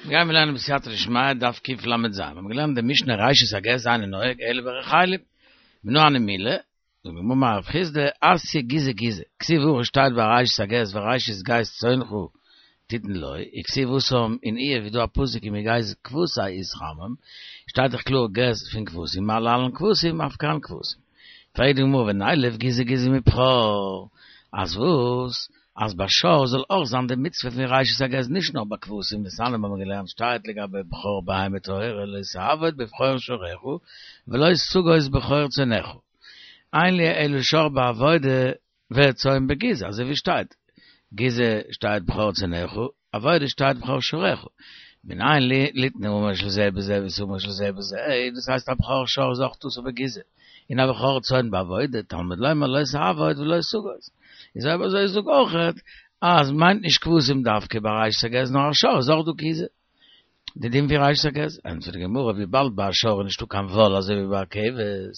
מיר גייען לערנען בסייעתא דשמיא דף קל"ז, מיר האבן געלערנט די משנה ראשית הגז אינו נוהג אלא ברחלים, מנא הני מילי, זאגט די גמרא אמר רב חסדא אתיא גיזי גיזי, כתיב הכא שטייט ביי ראשית הגז וראשית גז צאנך תתן לו, וכתיב התם אין איוב איז דא א פסוק ומגז כבשי יתחמם, שטייט דאך קלאר גז פון כבשים מה להלן כבשים אף כאן כבשים. פרעגט די גמרא ונילף גיזי גיזי מבכור, אז וואס? אז ביי שור זאל אויך זיין די מצוה פון ראשית הגז נישט נאר ביי כבשים דתניא האבן מיר געלערנט שטייט לגבי בכור בהמה טהורה לא תעבוד בבכור שורך ולא תגוז בכור צאנך אין לי אלא שור בעבודה וצאן בגיזה אזוי ווי שטייט גיזה שטייט בכור צאנך עבודה שטייט בכור שורך מנין לי ליתן האמור של זה בזה ואת האמור של זה בזה דאס הייסט א בכור שור איז אויך אסור בגיזה און א בכור צאן בעבודה תלמוד לומר לא תעבוד ולא תגוז איז אויב אזוי זאג אויכעט אז מיינט נישט כבשים דווקא ביי ראשית הגז נאר א שור איז אויך דא גיזה די דין פון ראשית הגז, ענטפערט די גמרא וויבאלד ביי א שור איז נישטא קיין וואל אזוי ווי ביי א כבש,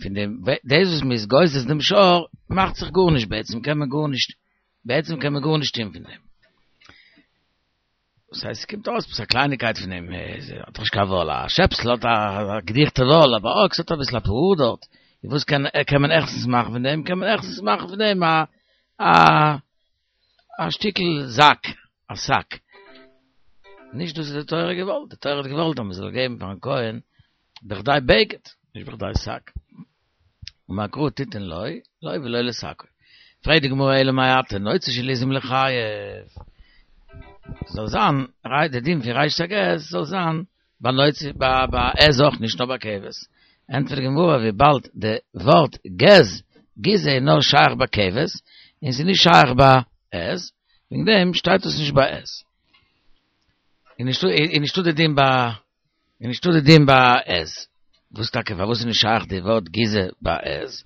פון דעם דאס וואס מ'איז גוזז דעם שור מאכט זיך גארנישט בעצם קען מען גארנישט בעצם קען מען גארנישט טון פון דעם. דאס הייסט ס'קומט אויס עפעס א קלייניקייט פון דעם, האט דאך נישט קיין וואל, א שעפסל האט א געדיכטע וואל, אבער א אקס האט אביסל אפאר האר דארט, און וואס קען קען מען העכסטנס מאכן פון דעם, קען מען העכסטנס מאכן פון דעם א א א שטיקל זאק, א שק. נישט דאס האט די תורה געוואלט, די תורה האט געוואלט אז מען זאל געבן פארן כהן בכדי בגד, נישט בכדי שק. אמר קרא תתן לו, לו ולא לשקו. פרעגט די גמרא אלא מעתה, נוצה של עזים ליחייב. זאל זיין, די דין פון ראשית הגז זאל זיין ביי נוצה ביי עז אויך נישט נאר ביי כבש. ענטפערט די גמרא וויבאלד די ווארט גז, גיזה איז נאר שייך ביי כבש, און ס'איז נישט שייך ביי עז, וועגן דעם שטייט עס נישט ביי עז. איז נישטא איז נישטא די דין ביי איז נישטא די דין ביי עז. וואס טאקע פארוואס איז נישט שייך די ווארט גיזה ביי עז?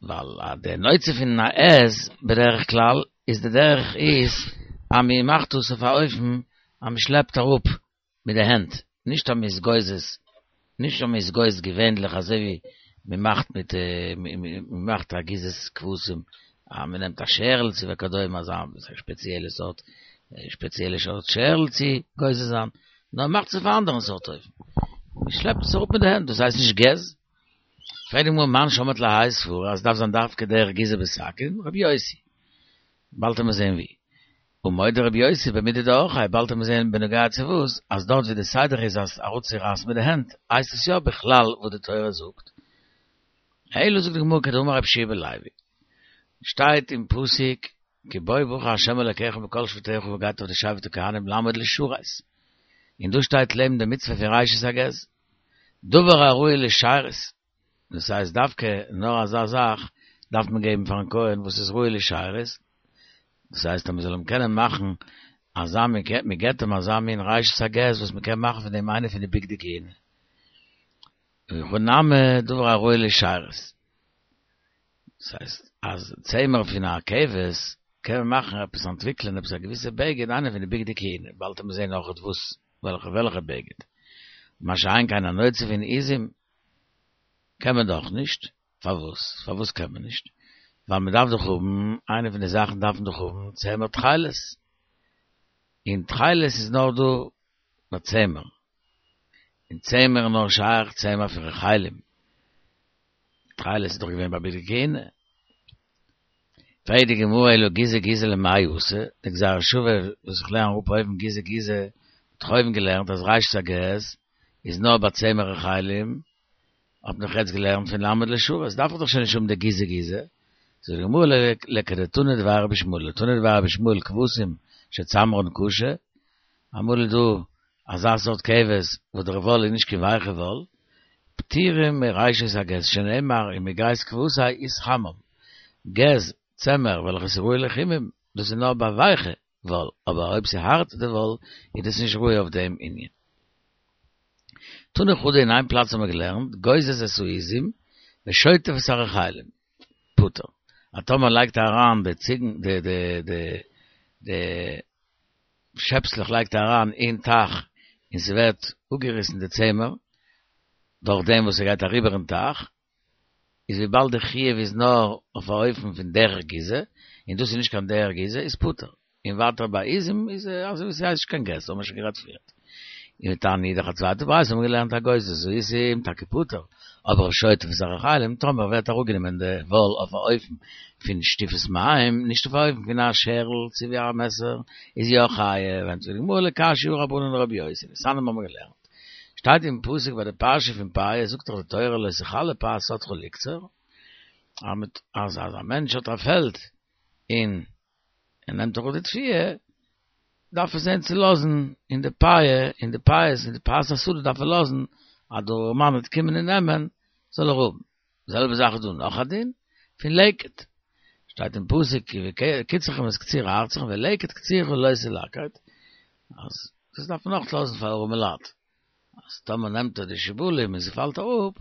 ווייל די נוצה פון א עז בדרך כלל איז די דרך איז אז מען מאכט עס אויף א אופן אז מען שלעפט אראפ מיט די הענט, נישט אז מען איז גוזז, נישט אז מען איז גוזז געווענליך אזוי ווי מען מאכט מיט מען מאכט א גיזת כבשים אז מען נעמט א שערל צו וכדומה אזא שפעציעלע סארט שפעציעלע סארט שערל צו גוזז זיין, נאר מען מאכט עס אויף א אנדערן סארט אופן, מען שלעפט עס אראפ מיט די הענט, דאס הייסט נישט גז. פרעגט די גמרא מאן שמעת להאי סברא אז עס דארף זיין דווקא דרך גיזה בסכין, רבי יוסי. באלד וועט מען זען ווי. ומודה רבי יוסי במידי דאורחיה, באלד וועט מען זען בנוגע צו וואס, אז דארט ווי די סדר איז אז אראפצורייסן מיט די הענט, הייסט עס יא בכלל וואס די תורה זאגט. אלא זאגט די גמרא כדאמר רבי יהושע בן לוי, שטייט אין פסוק כי בו בחר השם אלקיך מכל שבטיך וגייט אויף די שבט הכהנים לעמוד לשרת, און דא שטייט לעבן די מצוה פון ראשית הגז, דבר הראוי לשרת, דאס הייסט דווקא נאר אזא זאך דארף מען געבן פארן כהן וואס איז ראוי לשרת, דאס הייסט אז מען זאל אים קענען מאכן אזא מין, מען געבט אים אזא מין ראשית הגז וואס מען קען מאכן פון דעם איינע פון די בגדי כהונה. הכא נמי דבר הראוי לשרת. דאס הייסט אז צמר פון א כבש קען מען מאכן עפעס אנטוויקלען עפעס א געוויסע בגד איינע פון די בגדי כהונה, באלד וועט מען זען נאכעט וואס וועלכע וועלכע בגד. מה שאין כן א נוצה פון עזים קען מען דאך נישט, פארוואס? פארוואס קען מען נישט? ווייל מען דארף דאך האבן, איינע פון די זאכן דארף מען דאך האבן צמר תכלת, און תכלת איז נאר דא ביי צמר, און צמר איז נאר שייך צמר פון רחלים, תכלת איז דאך געווען ביי בגדי כהונה. פרעגט די גמרא אלא גיזה גיזה למאי אתא, די גזירה שווה וואס איך לערן אראפ אויבן גיזה גיזה, האט דאך אויבן געלערנט אז ראשית הגז איז נאר ביי צמר רחלים, האט מען דאך יעצט געלערנט פון לעמוד לשרת, דארף איך דאך שוין נישט האבן די גיזה גיזה. זאגט די גמרא לכדתנא דבי רבי ישמעאל, תנא דבי רבי ישמעאל כבשים שצמרן קשה, אמאל איז דא אזא סארט כבש וואס דער וואל איז נישט קיין ווייכע וואל, פטורים מראשית הגז שנאמר ומגז כבשי יתחמם, גז, צמר, וועלכע איז ראוי לחימום, דאס איז נאר ביי ווייכע וואל, אבער אויב ס'איז הארט די וואל איז דאס נישט ראוי אויף דעם ענין. תנא חדא אין איין פלאץ האבן מיר געלערנט, גוזז את העזים ושוטף את הרחלים, פטור. אז טאמער לייגט ער אריין די ציגן די די די די שעפסלעך לייגט ער אריין אין טייך און ס'ווערט אפגעריסן די צמר דורך דעם וואס ס'גייט אריבער אין טייך, איז וויבאלד די חיוב איז נאר אויף א אופן פון דרך גיזה, און דאס איז נישט קיין דרך גיזה, איז פטור. און ווייטער ביי עזים איז אזוי ווי ס'הייסט נישט קיין גז, האבן מיר שוין גערעדט פריערט. און ותניא אידך א צווייטע ברייתא האבן מיר געלערנט הגוזז העזים טאקע פטור, אבער השוטף את הרחלים טאמער ווערט אראפגענומען די וואל אויף א אופן פון שטיפת מים, נישט אויף א אופן פון א שערל צו ווי א מעסער, איז יא חייב, ענטפערט די גמרא לא קשיא הא רבנן לרבי יוסי, דתניא האבן מיר געלערנט. שטייט אין פסוק ביי די פרשה פון פאה זאגט דאך די תורה לא תכלה פאת שדך לקצור, אז אז א מענטש האט א פעלד און ער נעמט אראפ די תבואה, דארף ער זען צו לאזן אין די פאה, אין די פאות, אין די פאת השדה דארף ער לאזן אז דער ארעמאן וועט קומען און נעמען, זאל ער האבן. די זעלבע זאך איז דא נאך א דין פון לקט, שטייט אין פסוק כי בקצרכם את קציר ארצכם ולקט קצירך לא תלקט, אז דאס דארף מען אויך לאזן פאר ארעמע לייט, אז טאמער נעמט ער די שיבולים און ס'פאלט אראפ,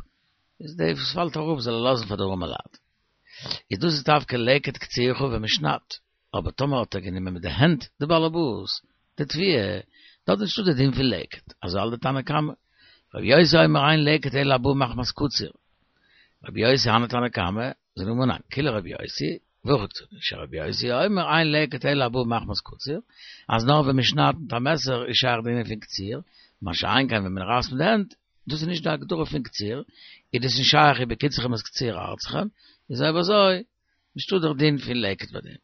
איז די וואס פאלט אראפ זאל ער לאזן פאר די ארעמע לייט. איז דאס איז דווקא לקט קצירך ווען מ'שניידט, אבער טאמער האט ער גענומען מיט די הענט די באלעבאס די תבואה, דארט איז נישטא די דין פון לקט, אזוי האלט די תנא קמא. רבי יוסי אומר אין לקט אלא הבא מחמת קציר. רבי יוסי הני תנא קמא, זאגט די גמרא ניין, כולה רבי יוסי, והכי קתני, שרבי יוסי אומר אין לקט אלא הבא מחמת קציר, אז נאר ווען מען שניידט מיט א מעסער איז שייך די ענין פון קציר, מה שאין כן ווען מען רייסט מיט די הענט, דאס איז נישט די הגדרה פון קציר, איז דאס נישט שייך ובקצרכם את קציר ארצכם, איז אויב אזוי נישטא דער דין פון לקט ביי דעם.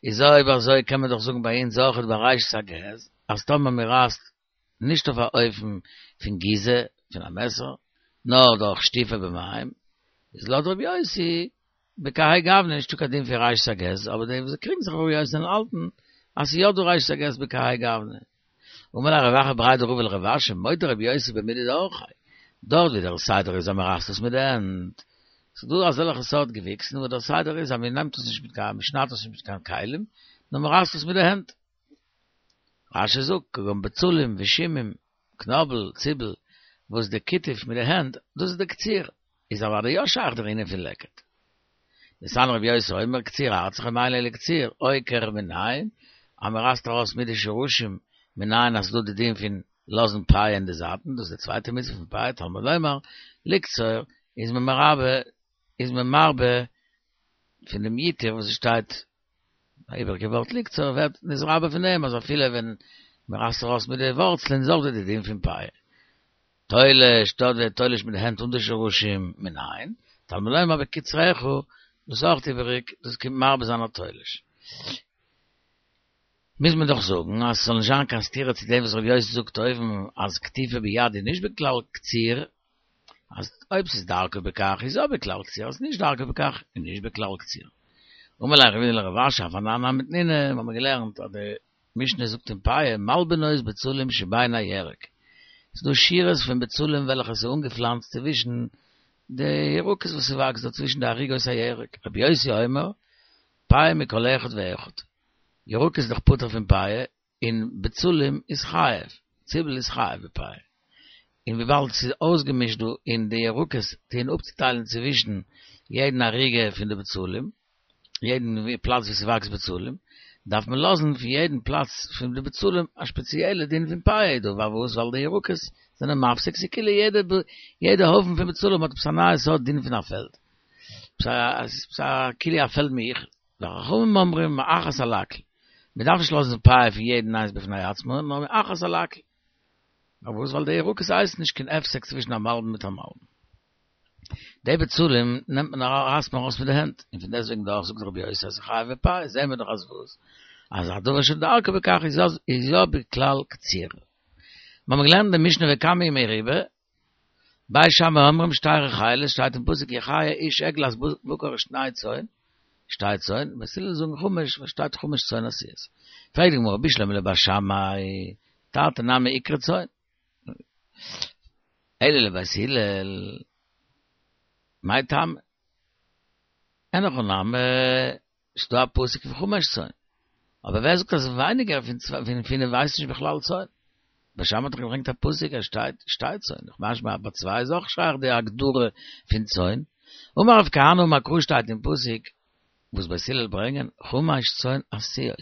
איז אויב אזוי קען מען דאך זאגן ביי אונז אויכעט ביי ראשית הגז, אז טאמער מען רייסט נישט אויף א אופן פון גיזה, פון א מעסער, נאר דורך שטיפה במים, איז לויט רבי יוסי, בכהאי גוונא נישטא קיין דין פון ראשית הגז, אבער די וואס קריגן זיך אויף רבי יוסי האלטן אז ס'איז יא דא ראשית הגז בכהאי גוונא. אמר ליה רב אחא בריה דרבא לרב אשי, מודה רבי יוסי במידי דאורחיה, דארט ווי דער סדר איז אז מען רייסט עס מיט די הענט, ס'איז דא אזעלכע סארט געוויקסן וואס דער סדר איז אז מען נעמט עס נישט מיט קיין, מען שניידט עס נישט מיט קיין כלים, נאר מען רייסט עס מיט די הענט. רש"י זאגט, כגון בצלים ושומים, קנאבל, ציבל, וואס די קיטוף מיט די הענט, דאס איז די קציר, איז אוודאי יא שייך דער ענין פון לקט. דתניא רבי יוסי אומר קציר ארצכם אין לי אלא קציר עוקר מנין, אז מען רייסט ארויס מיט די שרשים מנין אז ס'דא די דין פון לאזן פאה אין די זייטן, דאס איז די צווייטע מצוה פון פאה, תלמוד לומר לקצור, איז מען מרבה איז מען מרבה פון דעם יתור וואס עס שטייט א איבעריגע ווארט לקצור ווערט נתרבה פון דעם אז אפילו ווען מען רייסט ארויס מיט די ווארצלען איז אויך דא די דין פון פאה. תולש, דארט ווערט תולש מיט די הענט אן די שרשים, מנין, תלמוד לומר בקצרך, דאס איז אויך איבעריג, דאס קומט מרבה זיין א תולש. מוז מען דאך זאגן אז ס'זאל נישט זיין קיין סתירה צו דעם וואס רבי יוסי זאגט אויבן אז קטיפה ביד איז נישט בכלל קציר, אז אויב ס'איז דרכו בכך איז יא בכלל קציר, אז ס'איז נישט דרכו בכך איז נישט בכלל קציר. אמר ליה רב הונא לרב אשי אף אנן נמי תנינא, מ'האמיר געלערנט אז די משנה זאגט אין פאה מלבנות בצלים שבין הירק, ס'איז דא שורות פון בצלים וועלכע ס'איז אנגעפלאנצט צווישן די ירקות וואס ס'וואקסט דא צווישן די ערוגות הירק, רבי יוסי אומר, פאה מכל אחד ואחד, ירקות איז דאך פטור פון פאה, און בצלים איז חייב, ציבל איז חייב בפאה, און וויבאלד ס'איז אויסגעמישט דא און די ירקות טוען אפצוטיילן צווישן יעדן ערוגה פון די בצלים, יעדן פלאץ ווי ס'וואקסט בצלים, דארף מען לאזן פון יעדן פלאץ פון די בצלים א שפעציעלע דין פון פאה דא, פארוואס? ווייל די ירקות זענען מפסיק, ס'איז כאילו יעדע יעדע הויפן פון בצלים האט עפעס א נייע סארט דין פון א פעלד, עפעס א כאילו א פעלד מיוחד. וחכמים אומרים מאחת על הכל, מען דארף נישט לאזן פאה פון יעדן איינס בפני עצמו, נאר מאחת על הכל. פארוואס? ווייל די ירקות הייסן נישט קיין הפסק צווישן א מלבן מיט א מלבן. די בצלים נעמט מען רייסט מען ארויס מיט די הענט, און פון דעסטוועגן דאך זאגט רבי יוסי אז ס'חייב בפאה, זעהן מיר דאך אז וואס? אז א דבר שדרכו בכך איז יא בכלל קציר. מיר האבן געלערנט אין די משנה וכמה היא מרובה, בית שמאי אומרים שתי רחלות, שטייט אין פסוק יחיה איש עגלת בקר ושני צאן, שתי צאן, בית הלל זאגן חמש, וואס שטייט חמש צאן עשויות. פרעגט די גמרא בשלמא לבית שמאי, תרתי נמי איקרי צאן. אלא לבית הלל, מאי טעמא? אין הכי נמי, ס'דא א פסוק פון חמש צאן. אבער ווער זאגט אז ווייניגער פון פינף הייסט נישט בכלל צאן? בית שמאי האט דאך געברענגט א פסוק אז שטייט שתי צאן, דאך משמע אז ביי צוויי איז אויך שייך די הגדרה פון צאן. אמר רב כהנא אמר קרא שטייט אין פסוק וואס בית הלל ברענגען חמש צאן עשויות,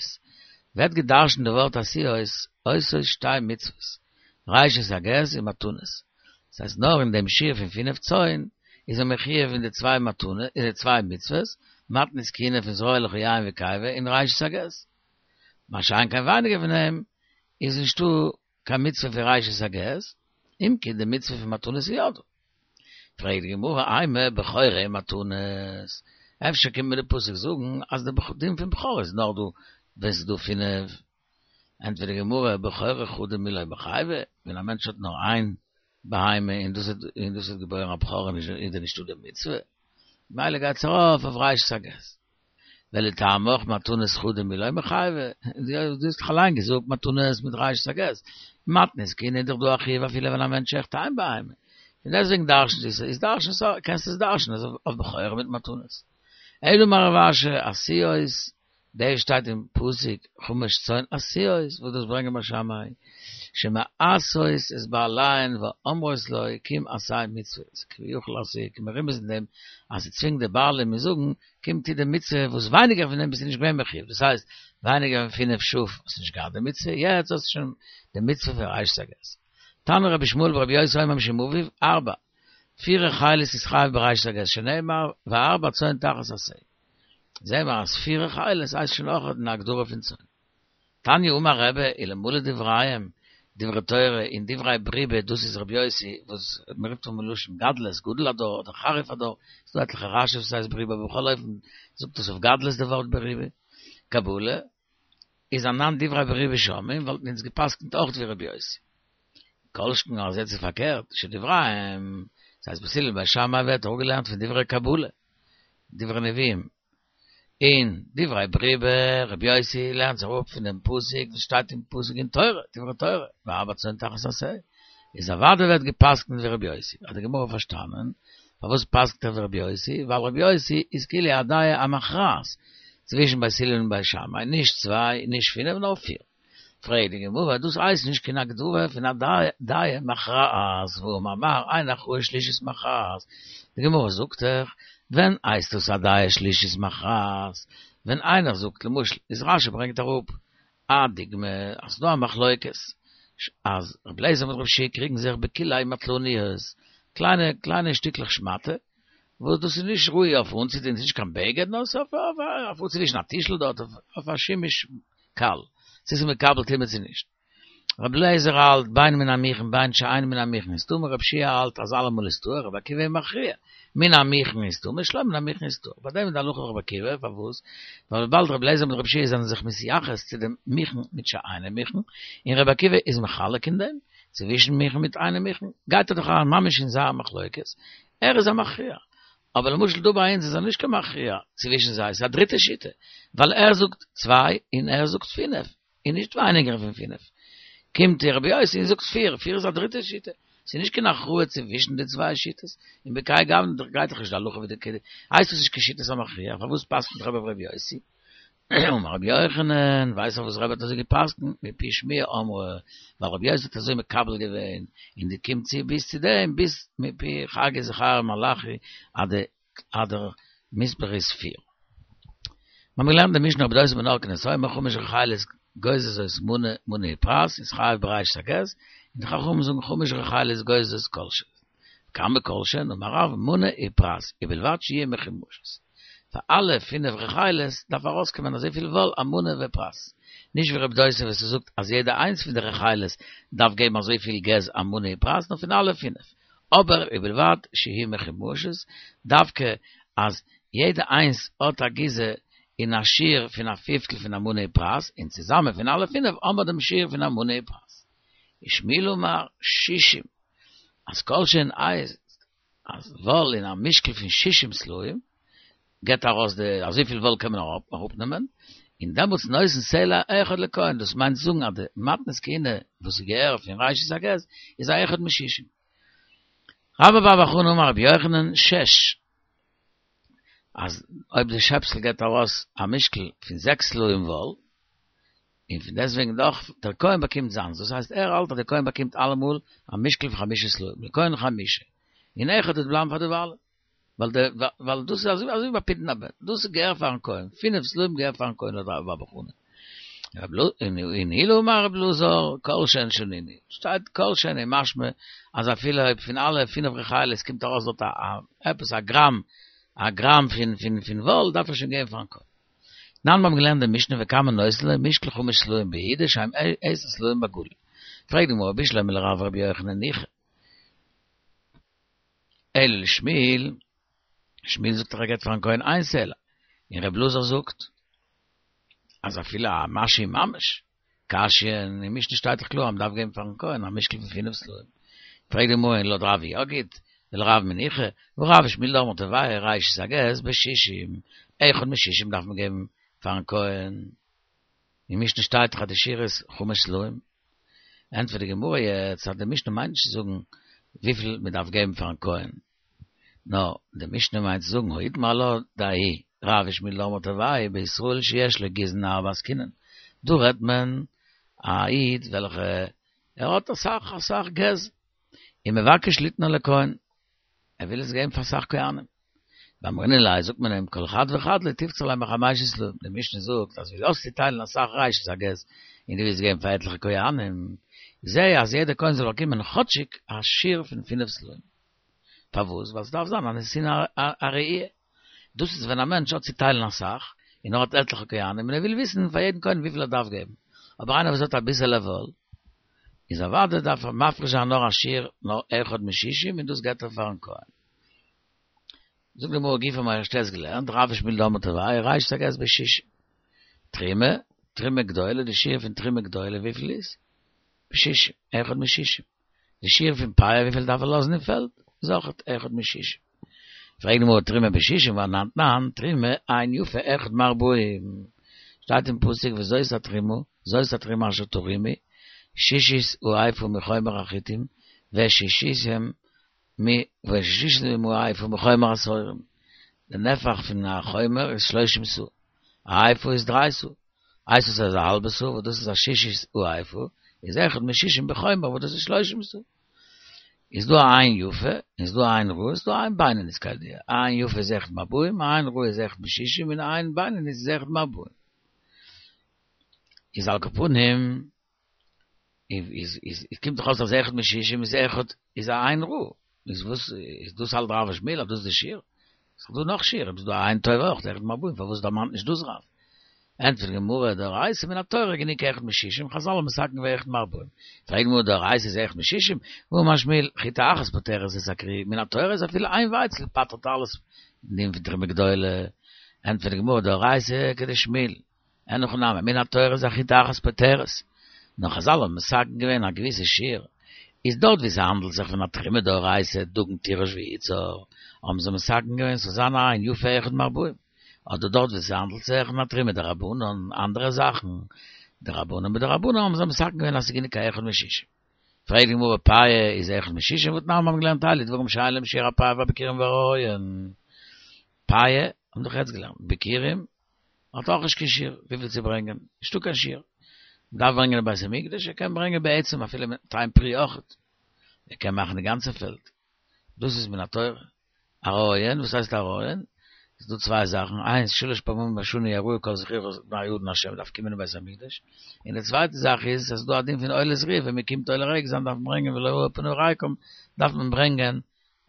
ווערט גע'דרש'נט די ווארט עשויות, עושות שתי מצוות, ראשית הגז און מתנות, דאס הייסט נאר אין דעם שיעור פון פינף צאן איז ער מחויב אין די צוויי מתנות, אין די צוויי מצוות, מתנות כהונה פון זרוע לך יין וקיבה און ראשית הגז. מה שאין כן ווייניגער פון דעם איז נישטא קיין מצוה פון ראשית הגז, אם כי די מצוה פון מתנות איז יא דא. פרעגט די גמרא אימא בכורה ומתנות, אפשר קומט מיר די פסוק זאגן אז די דין פון בכור איז נאר דא ווען ס'איז דא פינף, ענטפערט די גמרא בכורה חדא מי לא מיחייבא, ווען א מענטש האט נאר איין בהמה און דאס און דאס האט געבוירן א בכור איז דען נישטא די מצוה, ממילא גייט עס ארויף אויף ראשית הגז. ולטעמיך מתנות חדא מי לא מיחייבא, דו האסט דאך אליין געזאגט מתנות מיט ראשית הגז, מתנות כהונה איז דאך דא א חיוב אפילו ווען א מענטש שעכט איין בהמה, און דעסוועגן דרש'נט עס, איז דרש'ן סא, קענסט עס דרש'נען אויף בכורה מיט מתנות. אלא אמר רב אשי, עשיות, דאס שטייט אין פסוק חמש צאן עשיות, וואס דאס ברענגען בית שמאי, שמעשות את בעליהן ואומרות לו קום עשה מצוה, כביכול אז ס'איז מרומז אין דעם אז ס'צווינגט די בעלים און זאגן קום טו די מצוה וואס ווייניגער פון דעם ביסטו נישט געווען מחיוב, דאס הייסט ווייניגער פון פינף שאף האסטו נישט געהאט די מצוה, יעצט האסטו שוין די מצוה פון ראשית הגז. תנא רבי ישמעאל ברבי יוסי אומר משום אביו, ארבע, פיר רחלות איז חייב בראשית הגז, שנאמר וארבע צאן תחת השה. זעהן מיר אז פיר רחלות הייסט שוין אויך אין הגדרה פון צאן. תניא אמר רבי אלמלא דבריהם, דברי תורה און דברי בריבי דאס איז רבי יוסי וואס מ'רופט אן מלשון גדלות גדול הדור אדער חריף הדור, ס'דא עטליכע רש"י'ס וואס הייסט בריבי אבער בכל אופן זאגט עס אויף גדלות די ווארט בריבי, קבלה, איז אנן דברי בריבי שומעין וואלטן אונז גע'פסק'נט אויך ווי רבי יוסי. כל שכן אז יעצט איז פארקערט, שדבריהם, ס'הייסט בית הלל בית שמאי ווערט אפגעלערנט פון דברי קבלה, דברי נביאים, און דברי בריבי, רבי יוסי לערנט זיך אפ פון דעם פסוק וואס שטייט אין פסוק אין תורה, דברי תורה, וארבע צאן תחת השה, איז אוודאי ווערט גע'פסק'נט ווי רבי יוסי, האט די גמרא פארשטאנען פארוואס פסק'נט ער ווי רבי יוסי, ווייל רבי יוסי איז כאילו א דעה המכרעת צווישן בית הלל און בית שמאי, נישט צוויי, נישט פינף, נאר פיר. פרעגט די גמרא, דאס הייסט נישט קיין הגדרה פון א דעה מכרעת, והאמר מר, אין הכרעה שלישית מכרעת, די גמרא זאגט דאך, ווען הייסט דאס א דעה שלישית מכרעת? ווען איינער זאגט למשל, איז רש"י ברענגט אראפ א דוגמא, אז ס'דא א מחלוקת, אז רבי אליעזר מיט רבי יהושע קריגן זיך בכלאי מטלניות, קליינע קליינע שטיקלעך שמאטע, וואס דאס איז נישט ראוי אויף אנצוטון, ס'איז נישט קיין בגד, נאר ס'איז אויף אנצוווישן א טישל דארט, אויף א שימוש קל, צו ס'איז מקבל טומאה צו נישט. רבי אליעזר האלט בין מן המוכן בין שאין מן המוכן איז טמא, רבי יהושע האלט אז אלעמאל איז טהור, רבי עקיבא מכריע, מן המוכן איז טמא, שלא מן המוכן איז טהור. ביי דעם איז די הלכה ווי רבי עקיבא, פארוואס? ווייל וויבאלד רבי אליעזר מיט רבי יהושע זענען זיך מתייחס צו דעם מוכן מיט שאינו מוכן, און רבי עקיבא איז מחלק אין דעם, צווישן מוכן מיט אינו מוכן, גייט ער דאך אריין ממש אין זייער מחלוקת, ער איז א מכריע. אבער למשל דא ביי אונז איז ער נישט קיין מכריע צווישן זיי, ס'איז א דריטע שיטה, ווייל ער זאגט צוויי און ער זאגט פינף, און נישט ווייניגער פון פינף. קומט רבי יוסי און זאגט פיר, פיר איז א דריטע שיטה, ס'איז נישט קיין הכרעה צווישן די צוויי שיטות, און בכהאי גוונא גייט דאך נישט די הלכה ווי די כדי, הייסט עס נישט קיין שיטת המכריע, פארוואס פסק'נט רבי ווי רבי יוסי? אמר רבי יוחנן, ווייסט פארוואס רבי האט אזוי געפסקנט? מפי שמועה אמרו, ווייל רבי יוסי האט אזוי מקבל געווען, און די קומט צו ביז צו דעם, ביז מפי חגי זכריה מלאכי, אז די אז דער מספר איז פיר. מיר האבן געלערנט די משנה רבי דוסא בן הרכינס אומר חמש רחלות גוזזות מנה מנה ופרס איז חייב בראשית הגז, און די חכמים זאגן חמש רחלות גוזזות כל שהן. כמה כל שהן אמר רב מנה ופרס ובלבד שיהיו מחומשות. פאר אלע פינף רחלות דארף ארויסקומען אזויפיל וואל א מנה ופרס. נישט ווי רבי דוסא וואס ער זאגט אז יעדע איינס פון די רחלות דארף געבן אזויפיל גז א מנה ופרס נאר פון אלע פינף. אבער ובלבד שיהיו מחומשות, דווקא אז יעדע איינס האט א גיזה אין א שיעור פון א פיפטל פון א מנה ופרס, און צוזאמען פון אלע פינף האבן מיר דעם שיעור פון א מנה ופרס. ושמואל אמר שישים, אז כל שהן הייסט אז וואל אין א משקל פון שישים סלעים, געבט ארויס די אזויפיל וואל קען מען אראפנעמען, און דעמאלטס נותן סלע אחד לכהן, דאס מיינט זאגן אז די מתנות כהונה וואס איז געהער פון ראשית הגז איז א אחד משישים. רבה בר בר חנה אמר רבי יוחנן שש, אז אויב די שעפסל געבט ארויס א משקל פון זעקס סלעים וואל, און פון דעסטוועגן דאך דער כהן באקומט זיינס, דאס הייסט ער האלט אז דער כהן באקומט אלעמאל א משקל פון חמשה סלעים, לכהן חמשה, און אחד וועט בלייבן פאר די בעלים, ווייל די ווייל דאס איז אזוי אזוי ביי פדיון הבן, דאס איז געהער פארן כהן, פינף סלעים געהער פארן כהן לויט רבה בר בר חנה. און עולא אמר רבי אלעזר, כל שהן שנינו, שטייט כל שהן איז משמע אז אפילו אויב פון אלע פינף רחלות קומט ארויס דארט א עפעס א גראם א גראם פון פון פון וואל דארף ער שוין געבן פארן כהן. תנן, מיר האבן געלערנט די משנה וכמה נותנין לו משקל חמש סלעים ביהודה שהם עשר סלעים בגליל. פרעגט די גמרא בשלמא לרב ורבי יוחנן ניחא. אלא לשמואל, שמואל זאגט דאך ער געבט פארן כהן איין סלע, און ר' אלעזר זאגט אז אפילו א משהו ממש, קשיא, אין משנה שטייט דאך קלאר אז מ'דארף געבן פארן כהן א משקל פון פינף סלעים. פרעגט די גמרא און לויט רב יא גוט, ולרב מי ניחא, והא רב ושמואל דאמרי תרוייהו ראשית הגז בשישים, אחד משישים דארף מען געבן פארן כהן. אין משנה שטייט דאך אז די שיעור איז חמש סלעים. ענטפערט די גמרא יעצט אז די משנה מיינט נישט צו זאגן וויפיל מען דארף געבן פארן כהן, נאר די משנה מיינט צו זאגן הא איתמר עלה דההיא רב ושמואל דאמרי תרוייהו בישראל שיש לו גיזין הרבה עסקינן, דא רעדט מען א איד וועלכע ער האט אסאך אסאך געז און מבקש ליתנו לכהן, ער וויל עס געבן פאר אסאך כהנים. ואמרינן ליה זאגט מען אים כל חד וחד לא תבצר ליה מחמשא סלעים, די משנה זאגט אז ווי האסט צו טיילן אסאך ראשית הגז און דו ווילסט געבן פאר עטליכע כהנים, זע אז יעדער כהן זאל באקומען כאטשיג א שיעור פון פינף סלעים. פארוואס? ווייל ס'דארף זיין א נתינה א ראי'. דאס איז ווען א מענטש האט צו טיילן אסאך, און ער האט עטליכע כהנים, און ער וויל וויסן פאר יעדן כהן וויפיל ער דארף געבן. אבער איינער וואס האט אביסעלע וואל, איז אוודאי דארף ער מפריש זיין נאר א שיעור נאר אחד משישים און דאס געבט ער פארן כהן. זאגט די גמרא גופא מ'האט ערשט געלערנט, רב ושמואל דאמרי תרוייהו ראשית הגז בשישים. תרומה, תרומה גדולה, די שיעור פון תרומה גדולה וויפיל איז? בשישים, אחד משישים. די שיעור פון פאה וויפיל דארף ער לאזן אין פעלד? איז אויך אחד משישים. פרעגט די גמרא תרומה בשישים והא אנן תנן, תרומה עין יפה אחד מארבעים. שטייט אין פסוק וזאת התרומה, זאת התרומה אשר תרימו, שישית האיפה מחומר החיטים, ושישית מ ושישית האיפה מחומר השעורים. די נפח פון א חומר איז שלושים סאה, א איפה איז דריי סאה, הייסט עס אז א האלבע סאה וואס דאס איז א שישית האיפה, איז אחד משישים בחומר וואס דאס איז שלושים סאה. איז דא א עין יפה, איז דא א עין רעה, איז דא א עין בינונית כידוע. א עין יפה איז אחד מארבעים, א עין רעה איז אחד משישים, און א עין בינונית איז אחד מארבעים. איז על כל פנים, איז איז איז קומט דאך אויס אז אחד משישים איז אחד איז א עין רעה. איז וואס איז דאס האלט רב ושמואל אז דאס איז די שיעור? ס'איז דא נאך שיעורים, ס'איז דא א עין טובה אויך, אחד מארבעים, פארוואס דערמאנט נישט דאס רב? ענטפערט די גמרא, דאורייתא מן התורה גענוג אחד משישים, חזל האבן מתקן געווען אחד מארבעים. פרעגט די גמרא דאורייתא איז אחד משישים, והאמר שמואל, חיטה אחת פוטרת את הכרי, מן התורה איז אפילו איין ווייצל פטר'ט אלעס דין פון תרומה גדולה. ענטפערט די גמרא, דאורייתא כדשמואל, אין הכי נמי, מן התורה איז א חיטה אחת פוטרת. נאר חזל האבן מתקן געווען א געוויסע שיעור. איז דארט ווי ס'האנדלט זיך פון א תרומה דאורייתא דגן תירוש ויצהר, האבן זיי מתקן געווען ס'זאל זיין א עין יפה אחד מארבעים. אדער דארט ווי ס'האנדלט זיך פון א תרומה דרבנן, אנדערע זאכן, דרבנן מדרבנן האבן זיי מתקן געווען אז ס'איז גענוג א אחד משישים. פרעגט די גמרא פאה איז אחד משישים והתנן מיר האבן געלערנט אלו דברים שאין להם שיעור הפאה והביכורים והראיון. פאה האבן דאך יעצט געלערנט, ביכורים האט אויך נישט קיין שיעור וויפיל צו ברענגען, נישטא קיין שיעור. מ'דארף ברענגען אין בית המקדש, ער קען ברענגען בעצם אפילו מיט איין פרי אויכעט, ער קען מאכן די גאנצע פעלד, דאס איז מן התורה. הריון, וואס הייסט הריון? ס'איז דא צוויי זאכן, איינס שלש פעמים בשנה יראו כל זכורך את פני האדון השם מ'דארף קומען אין בית המקדש, און די צווייטע זאך איז אז ס'איז דא א דין פון עולת ראיה ווען מ'קומט עולה רגל זיין דארף מען ברענגען ולא ראו פני ריקם דארף מען ברענגען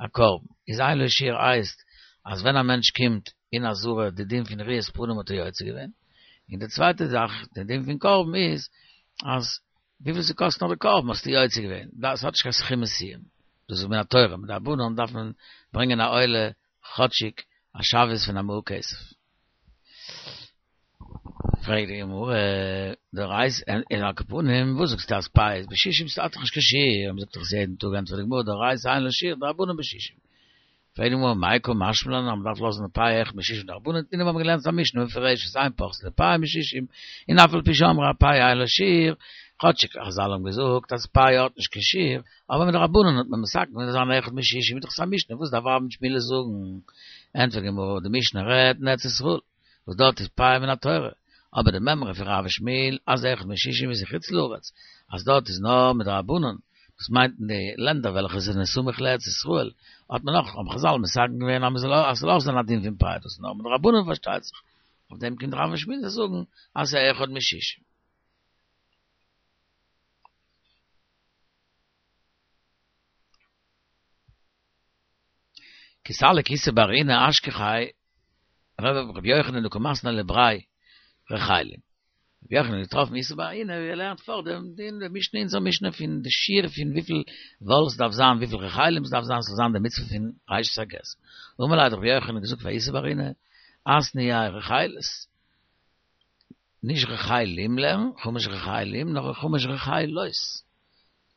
א קרבן, איז אין לו שיעור הייסט אז ווען א מענטש קומט אין עזרה די דין פון ראיית פנים האט ער יוצא געווען, און די צווייטע זאך די דין פון קרבן איז אז וויפיל ס'קאסט נאר די קרבן האסטו יוצא געווען, דאס האט נישט קיין סכום מסוים, דאס איז מן התורה, מדרבנן דארף מען ברענגען א עולה כאטשיג א שוויות פון א מעה כסף. פרעגט די גמרא, דאורייתא און על כל פנים, וואס זאגסטו אז פאה איז בשישים ס'האט דאך נישט קיין שיעור, מ'זאגט דאך עס יעדן טאג, ענטפערט די גמרא, דאורייתא אין לה שיעור, דרבנן בשישים. פרעגט די גמרא, מאי קא משמע לן אז מ'דארף לאזן די פאה אחד משישים דרבנן, תנינא מיר האבן געלערנט א משנה מפורשת אין פוחתין לפאה משישים, און אף על פי שאמרו הפאה אין לה שיעור, כאטשיג חזל האבן געזאגט אז פאה האט נישט קיין שיעור, אבער מדרבנן האט מען מתקן געווען זאל זיין אחד משישים איז דאך עס א משנה וואס דארף רב ושמואל זאגן? ענטפערט די גמרא, די משנה רעדט אין ארץ ישראל, וואס דארט איז פאה מן התורה, אבער די מימרא פון רב ושמואל אז אחד משישים איז אין חוץ לארץ, אז דארט איז נאר מדרבנן, דאס מיינט אין די לענדער וועלכע זענען סמוך לארץ ישראל, האט מען נאך, האבן חזל מתקן געווען אז מ'זאל אז ס'זאל אויך זיין א דין פון פאה, דאס איז נאר מדרבנן פארשטייט זיך, אויף דעם קומט רב ושמואל זיי זאגן אז ס'איז אחד משישים. כי סליק איסי בר אינא אשכחיה רבי יוחנן דקא מתני לבריה. רחלים. רבי יוחנן האט געטראפן איסי בר אהינא ווי ער לערנט פאר דעם דין די משנה אונזער משנה פון די שיעור פון וויפיל וואל ס'דארף זיין וויפיל רחלים ס'דארף זיין ס'זאל זיין די מצוה פון ראשית הגז. אמר ליה האט רבי יוחנן געזאגט פאר איסי בר אהינא אתנייה רחלות נישט רחלים לערן חמש רחלים נאר חמש רחלות.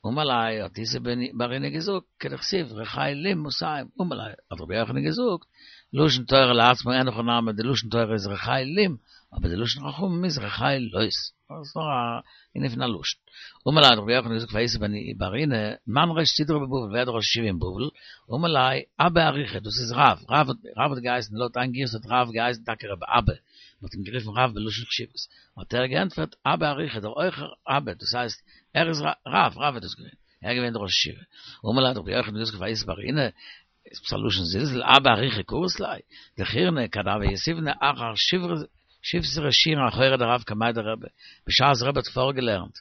אמר ליה האט איסי בר אהינא געזאגט כדכתיב רחלים מאתים אמר ליה האט רבי יוחנן געזאגט לשון תורה לעצמו אין הכי נמי די לשון תורה איז רחלים אבער די לשון חכמים איז רחלות דאס איז נאר א ענין פון א לשון אמר ליה האט רבי יוחנן געזאגט פאר איסי בר אהינא מאן ראש סדרא בבבל ווער איז די ראש ישיבה אין בבל אמר ליה אבא אריכא דאס איז רב רב האט געהייסן לויט איין גירסא האט רב געהייסן טאקע רבי אבא מען האט אים גערופן רב בלשון חשיבות האט ער געענטפערט אבא אריכא דער הויכער אבא דאס הייסט ער איז רב, רב איז דאס געווען, ער איז געווען דער ראש ישיבה. אמר ליה האט רבי יוחנן געזאגט פאר איסי בר אהינא, איז עפעס א לשון זלזול, אבא אריכא קרית ליה, דכירנא כד הוה יתיבנא אחר שיבסרי שיעורין אחורי דרב קמיה דרבי, בשעת רבי האט פארגעלערנט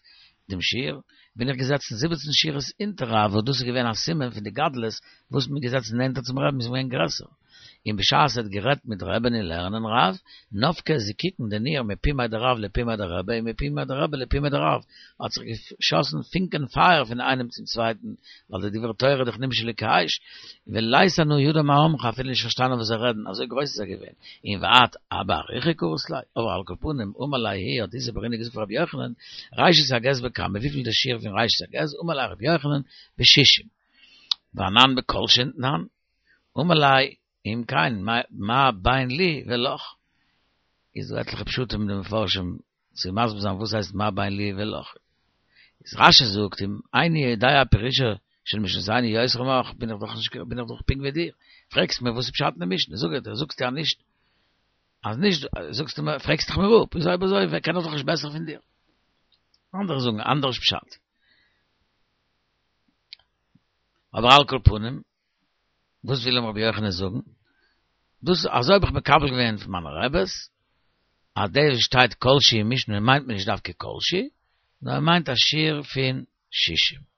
דעם שיעור, בין איך געזעצן זיבעצן שורות אונטער רב, וואס דאס איז געווען א סימן פון די גדלות וואס מ'איז געזעצן נענטער צום רבין איז מען געווען גרעסער. און בשעת ער האט גערעדט מיט רבי'ן אין לערנען רב, נפקי זיקוקין דנור מפומיה דרב לפומיה דרבי און מפומיה דרבי לפומיה דרב, האט זיך געשאסן פונקען פייער פון איינעם צום צווייטן, ווייל די דברי תורה דאך נמשלו כאש, ולית אנא ידע מה אמרי, אפילו נישט פארשטאנען וואס זיי רעדן, אזוי גרויס איז ער געווען, און ואת אבא אריכא קרית ליה, אבער על כל פנים, אמר ליה האט איסי בר אהינא געזאגט פאר רבי יוחנן, ראשית הגז בכמה, וויפיל די שיעור פון ראשית הגז, אמר ליה רבי יוחנן, בשישים. ואנן בכל שהון תנן. אמר ליה אם כן מה בין לי ולך? איז דא עטליכע פשטים אין די מפרשים צו מסביר זיין וואס הייסט מה בין לי ולך. איז רש"י זאגט אם איני יודע פירושה של משנתנו יותר ממך בין איך דאך נישט בין איך דאך פונקט ווי דיר, פרעגסט מיר וואס איז פשט אין די משנה זאג איך דיר זאגסטו אז נישט אז נישט זאגסטו מיר פרעגסט דאך מיר אפ איז אויב אזוי קען איך דאך נישט בעסער פון דיר. אנדערע זאגן אנדערש פשט. אבער על כל פנים וואס וויל אים רבי יוחנן זאגן? דאס אזוי האב איך מקבל געווען פון מיינע רעבעס, אז דאס וואס שטייט כל שהוא אין משנה מיינט מען נישט דווקא כל שהוא, נאר ער מיינט א שיעור פון שישים.